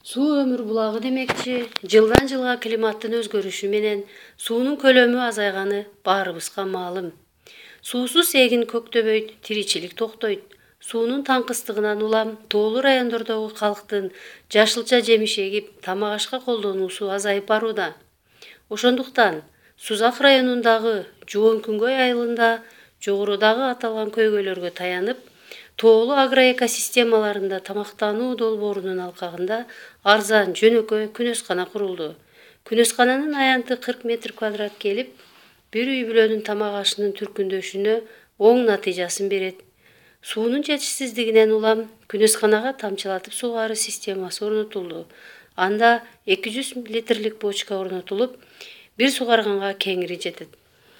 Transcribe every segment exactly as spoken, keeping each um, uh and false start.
Суу өмүр булагы демекчи, жылдан жылга климаттын өзгөрүшү менен суунун көлөмү азайганы баарыбызга маалым. Суусуз эгин көктөбөйт, тиричилик токтойт. Суунун таңкыстыгынан улам тоолуу райондордогу калктын жашылча жемиш эгип, тамак-ашка колдонуусу азайып барууда. Ошондуктан Сузак районундагы Жуон-Күнгөй айылында жогорудагы аталган көйгөйлөргө таянып, тоолуу агроэкосистемаларында тамактануу долбоорунун алкагында арзан, жөнөкөй күнөскана курулду. Күнөскананын аянты кырк метр квадрат келип, бир үй бүлөнүн тамак-ашынын түркүндөшүнө оң натыйжасын берет. Суунун жетишсиздигинен улам күнөсканага тамчылатып сугаруу системасы орнотулду. Анда эки жүз литрлик бочка орнотулуп, бир сугарганга кеңири жетет.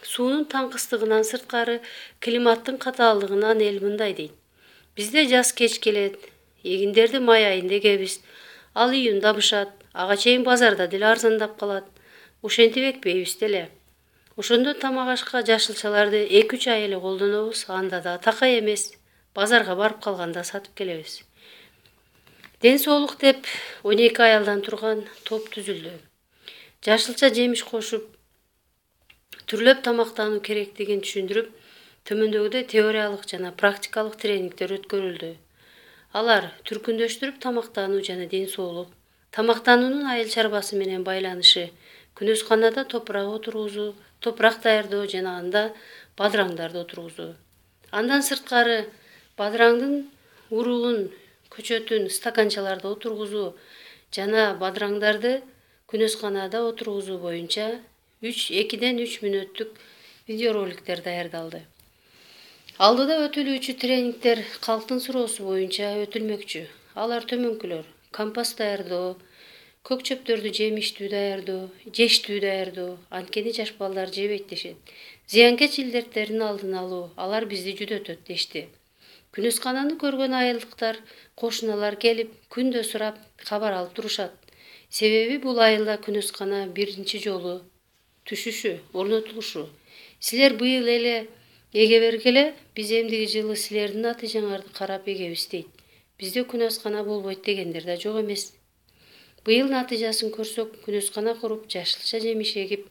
Суунун таңкыстыгынан сырткары климаттын катаалдыгынан эл мындай дейт: бизде жаз кеч келет, эгиндерди май айында эгебиз, ал июнда бышат, ага чейин базарда деле арзандап калат. Ошентип экпейбиз деле. Ошондо тамак-ашка жашылчаларды эки үч ай эле колдонобуз, анда да такай эмес. Базарга барып калганда сатып келебиз. Ден соолук деп он эки аялдан турган топ түзүлдү. Жашылча жемиш кошуп, түрлөп тамактануу керектигин түшүндүрүп, төмөндөгүдөй теориялык жана практикалык тренингдер өткөрүлдү. Алар түркүндөштүрүп тамактануу жана ден соолук, тамактануунун айыл чарбасы менен байланышы, күнөсканада топурак отургузуу, топурак даярдоо жана анда бадыраңдарды отургузуу. Андан сырткары бадыраңдын уругун, көчөтүн стаканчаларда отургузуу жана бадыраңдарды күнөсканада отургузуу боюнча экиден үч мүнөттүк видеороликтер даярдалды. Алдыда өтүлүүчү тренингдер калктын суроосу боюнча өтүлмөкчү. Алар төмөнкүлөр: компост даярдоо, көк чөптөрдү жемиштүү даярдоо, жештүү даярдоо, анткени жаш балдар жебейт дешет. Зыянкеч илдеттердин алдын алуу, алар бизди жүдөтөт дешти. Күнөскананы көргөн айылдыктар, кошуналар келип, күндө сурап, кабар алып турушат. Себеби бул айылда күнөскана биринчи жолу түшүшү, орнотулушу. Силер быйыл эле эге бергиле, биз эмдиги жылы силердин натыйжаңарды карап эгебиз дейт. Бизде күнөскана болбойт дегендер да жок эмес. Быйыл натыйжасын көрсөк, күнөскана куруп, жашылча жемиш эгип,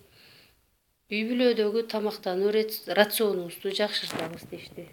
үй бүлөдөгү тамактануу рационубузду жакшыртабыз дешти.